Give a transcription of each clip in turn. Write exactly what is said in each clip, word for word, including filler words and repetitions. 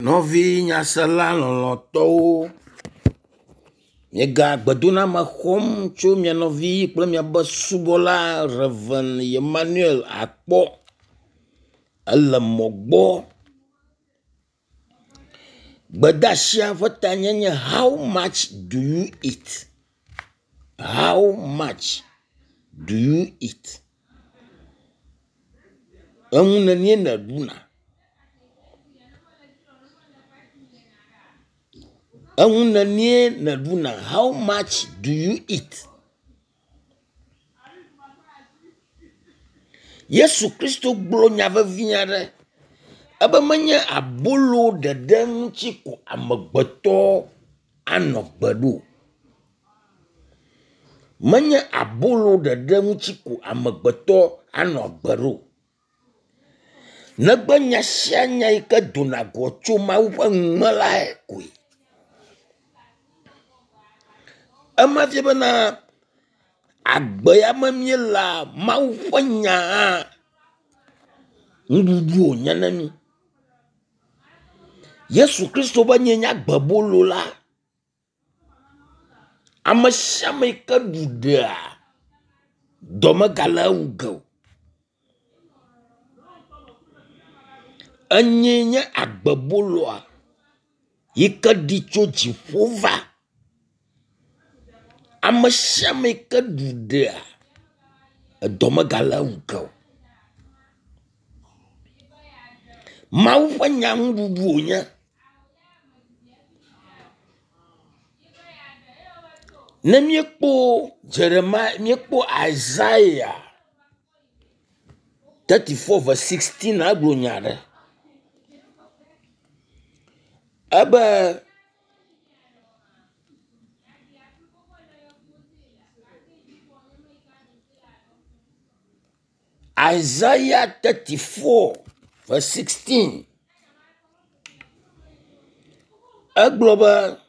Nɔvi nyasela lɔlɔ̃tɔwo, miega gbedoname xɔm tso mia nɔvi kple miabe subɔla Rev. Emmanuel Akpɔ ele mɔ gbɔ. Gbedasia ƒe tanye nye “How much do you eat? How much do you eat?” Enu nenie nèɖuna? Enu nenie nèɖuna? How much do you eat? Yesu Kristo gblɔ nya vevi aɖe. Ebe menye abolo ɖeɖe ŋuti ko amegbetɔ anɔ agbe ɖo o. Menye abolo ɖeɖe ŋuti ko amegbetɔ anɔ agbe ɖo o. Negbe nya sia nya yi ke dona go tso Mawu ƒe nu me lae koe. Ema fia bena agbe ya me míelea, Mawu ƒe nya hã nuɖuɖu wònye na mí. Yesu Kristo be nyee nye agbebolo la. Ame sia ame yi ke ɖu ɖea, dɔ megale ewu ge o. Enyee nye agbeboloa yi ke ɖi tso dziƒo va. Ame sia ame yi ke ɖu ɖea, edɔ megale ewu ge o. Mawu ƒe nya nuɖuɖu wònye. Ne míekpɔ Jeremia, míekpɔ Isaiah thirty four verse sixteen egblɔ nya ɖe. Ebe Isaiah thirty four verse sixteen egblɔ be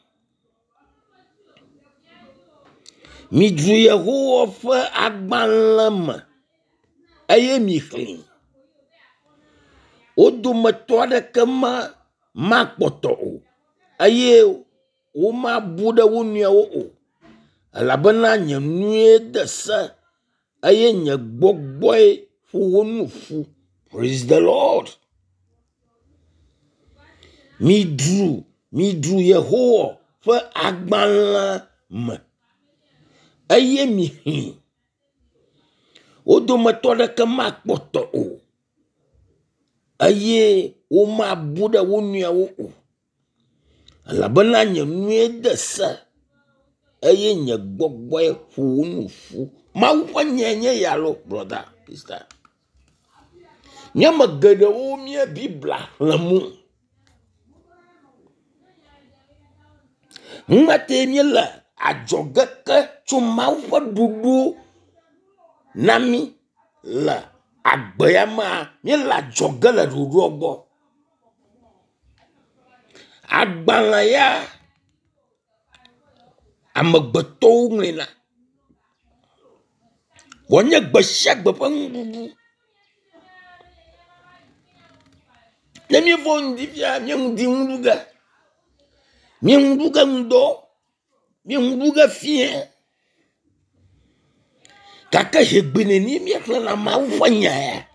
midzro Yehowa ƒe agbalẽ me eye mixlẽe. Wo dometɔ aɖeke ma makpɔtɔ o eye womabu ɖe wo nɔewo o elabena nye nue de se eye nye gbɔgbɔe ƒo wo nu ƒu. Praise the Lord. Midzro midzro Yehowa ƒe agbalẽ me eye mixlẽe. Wo dometɔ aɖeke makpɔtɔ o eye womabu ɖe wo nɔewo o elabena nye nue de se eye nye gbɔgbɔe ƒo wo nu ƒu. Mawu ƒe nyae nye ya loo brother, sister. Míame geɖewo mía Biblia xlẽm o. Numa tae míele adzɔge ke tso Mawu ƒe ɖoɖo na mí le agbe ya mea, míele adzɔge le ɖoɖoa gbɔ. Agbalẽ ya amegbetɔwo ŋlɔena. Wònye gbe sia gbe ƒe nuɖuɖu. Ne míefɔ ŋdi fia, mía ŋdi nu ɖu ge. Mía nu ɖu ge ŋdɔ, mía nu ɖu ge fiẽ. Gake zi gbe nenie míexlẽna Mawu ƒe nya ya?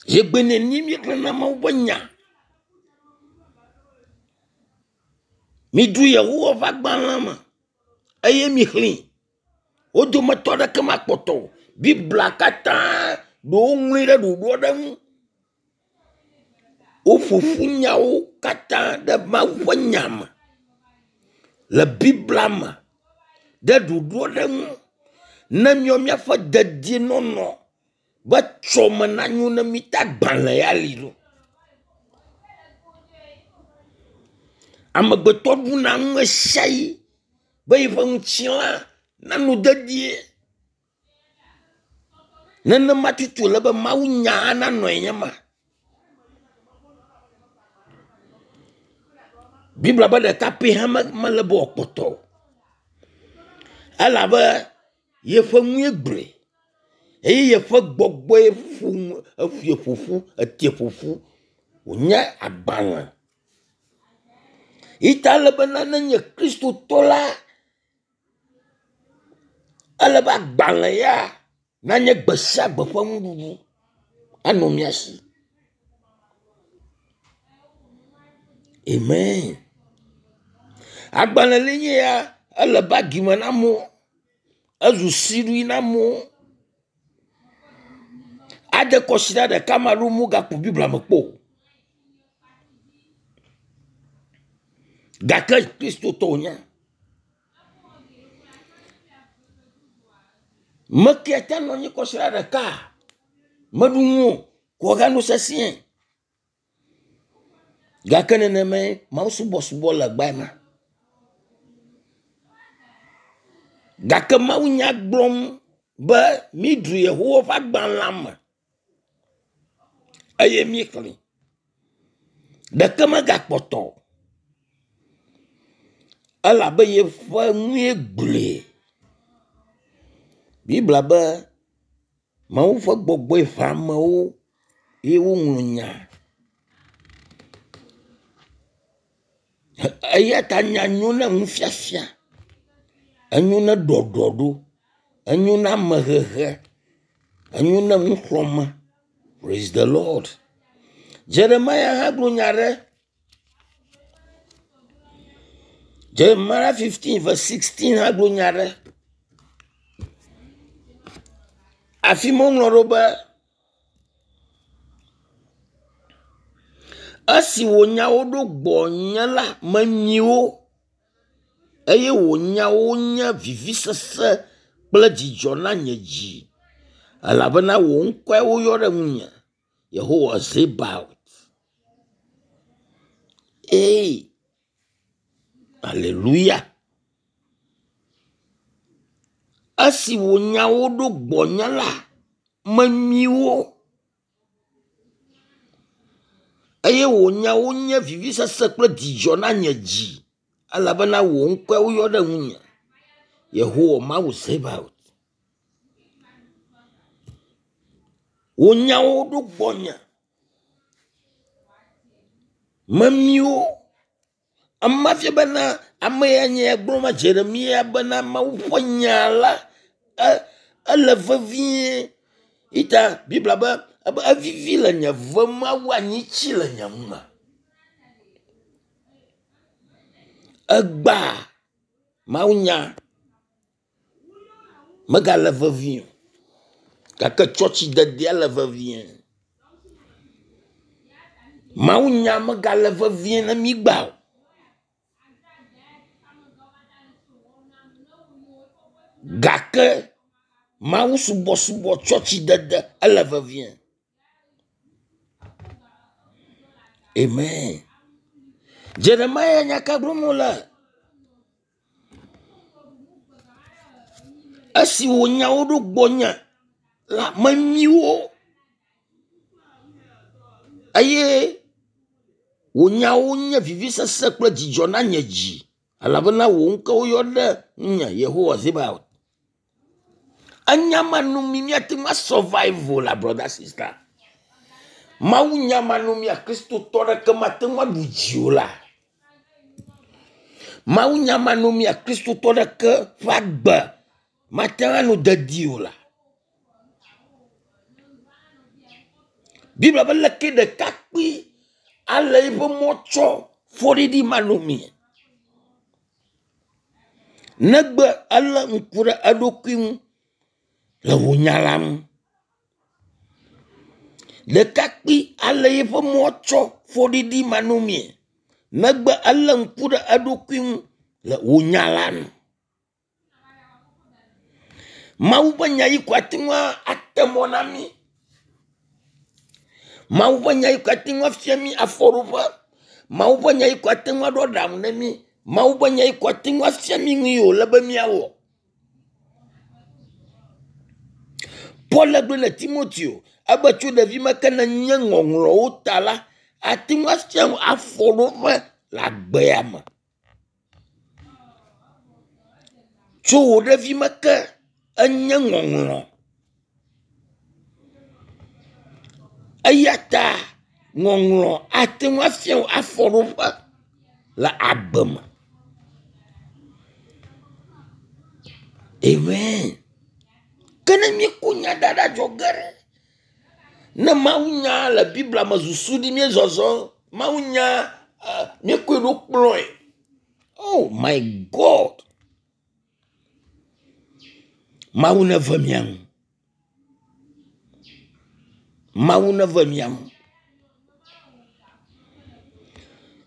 Zi gbe nenie míexlẽna Mawu ƒe nya? Midzro Yehowa ƒe agbalẽ me eye mixlẽe. Wo dometɔ aɖeke makpɔtɔ o. Biblia katã ɖe woŋlɔe ɖe ɖoɖo aɖe ŋu. Woƒo ƒu nyawo katã ɖe Mawu ƒe nya me le Biblia me ɖe ɖoɖo aɖe ŋu ne míawo míaƒe dedienɔnɔ be tsɔme nanyo na mí ta agbalẽ ya li ɖo. Amegbetɔ ɖuna nu ɣe sia ɣi be yeƒe ŋutilã nanɔ dedie. Nenema tutu wòle be Mawu nya hã nanɔe nye ma. Biblia be ɖeka pɛ hã mele be wòakpɔtɔ o. Elabe yeƒe nue gblɔe eye yeƒe gbɔgbɔe ƒo nu eƒoe ƒoƒu etie ƒoƒu. Wònye agbalẽ. Yi ta ele bena nenye kristotɔ la, ele be agbalẽ ya nanye gbe sia gbe ƒe nuɖuɖu anɔ mía si. Amen. Agbalẽ li nye ya ele bagi me na amewo, ezu siɖui na amewo. Ade kɔsiɖa ɖeka ame aɖewo megaku Biblia me kpɔ o. Gake kristotɔ wònye. Mekea te nɔ anyi kɔsiɖa ɖeka meɖu nu o ko wòagano sesĩe. Gake nenemae mawusubɔsubɔ le egbea ma. Gake Mawu nya gblɔm be mídzro Yehowa ƒe agbalẽa me eye míexlẽe. Ɖeke megakpɔtɔ o elabe yeƒe nue gblɔe. Biblia be Mawu ƒe gbɔgbɔe ʋã amewo ye woŋlɔ nya. Eya ta nya nyo na nufiafia, enyo na ɖɔɖɔɖo, enyo na amehehe, enyo na nuxlɔ̃me. Praise the Lord. Jeremia hã gblɔ nya ɖe. Jeremiah fifteen verse sixteen hã gblɔ nya ɖe. Afi ma woŋlɔ ɖo be esi wò nyawo ɖo gbɔnye la, menyi wo eye wò nyawo nye vivisese kple dzidzɔ na nye dzi elabena wò ŋkɔe woyɔ ɖe ŋunye, Yehowa Zebaot. Ee, aleluya. Esi wò nyawo ɖo gbɔnye la, menyi wo eye wò nyawo nye vivisese kple dzidzɔ na nye dzi elabena wò ŋkɔe woyɔ ɖe ŋunye, Yehowa Mawu Zebaot. Wò nyawo ɖo gbɔnye, memi wo. Ema fia bena ame ya nye gblɔm ma Jeremia bena Mawu ƒe nya la e ele vevie. Ita Biblia be ebe evivi le nye ve me wu anyitsi le nye nu me. Egbea Mawunya megale vevie o gake tsɔtsidedea le vevie. Mawunya megale vevie na mí gbea o. Gake mawusubɔsubɔ tsɔtsidede ele vevie. Amen. Jeremia nya ka gblɔm wòle? Esi wò nyawo ɖo gbɔnye la, menyi wo eye wò nyawo nye vivisese kple dzidzɔ na nye dzi elabena wò ŋkɔ woyɔ ɖe ŋunye, Yehowa Zebaot. Enya ma nu mi míate ŋu asurvive o la brother sister. Mawu nya ma nu mía kristotɔ ɖeke mate ŋu aɖu dzi o la. Mawu nya ma nu mía kristotɔ ɖeke ƒe agbe mate ŋu anɔ dedie o la. Biblia be leke ɖekakpui ale eƒe mɔ tsɔ fɔɖiɖi manɔmee. Negbe elé ŋku ɖe eɖokui ŋu le wò nya la ŋu. Ɖekakpui ale eƒe mɔ tsɔ fɔɖiɖi manɔmee. Negbe elé ŋku ɖe eɖokui ŋu le wò nya la ŋu. Mawu ƒe nya yi ko ate ŋu ate mɔ na mí. Mawu ƒe nya yi ko ate ŋu afia mí afɔɖoƒe. Mawu ƒe nya yi ko ate ŋu aɖo aɖaŋu na mí. Mawu ƒe nya yi ko ate ŋu afia mí nu yi wòle be míawɔ. Paul gblɔ na Timoteo ebe tso ɖevime ke nenye ŋɔŋlɔwo ta la, ate ŋu afia afɔɖoƒe le agbea me. Tso wò ɖevime ke enye ŋɔŋlɔ. Eya ta Ŋɔŋlɔ ate ŋu afia wò afɔɖoƒe le agbe me. Amen. Ke ne míekɔ nya da ɖe adzɔge ɖe, ne Mawu nya le Biblia me susu ɖi míezɔzɔ, Mawu nya eh, míekɔe ɖo kplɔe. Oh my God. Mawu neve mía ŋu. Mawu neve mía ŋu.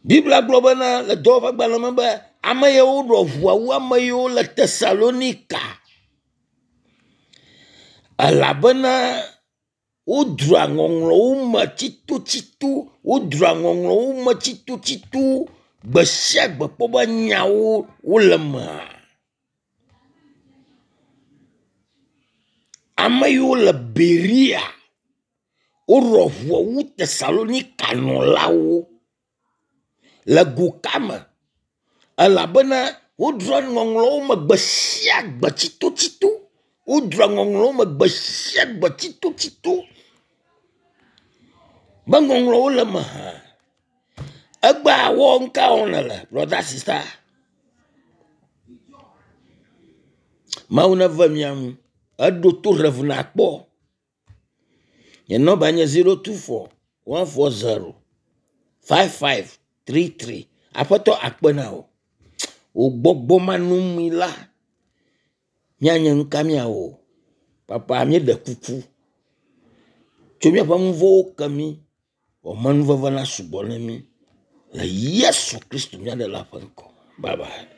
Biblia gblɔ bena le dɔwɔƒegbalẽ me be ame yiwo ɖɔ ʋua wu ame yiwo le Tesalonika elabena wodroa ŋɔŋlɔwo me tsitotsito wodroa ŋɔŋlɔwo me tsitotsito gbe sia gbe kpɔ be nyawo wole mea. Ame yiwo le Beria woɖɔ ʋua wu Tesalonika nɔlawo le go ka me elabena wodroa ŋɔŋlɔwo me gbe sia gbe tsitotsito. Wodroa ŋɔŋlɔwo me gbe sia gbe tsitotsito be ŋɔŋlɔwo le eme hã. Egbea wɔ ŋka wɔm nèle brother sister? Mawu neve mía ŋu. Eɖo to Rev nakpɔ. Nye nɔmba nye zero two four one four zero five five three three. Aƒetɔ akpe na wò. Wò gbɔgbɔ manɔŋui la, míanye nu ka míawɔ o. Papa míeɖe kuku tso míaƒe nu vɔ̃wo ke mí. Wò amenuveve na sugbɔ ne mí le Yesu Kristo mía ɖela ƒe ŋkɔ. Bye bye.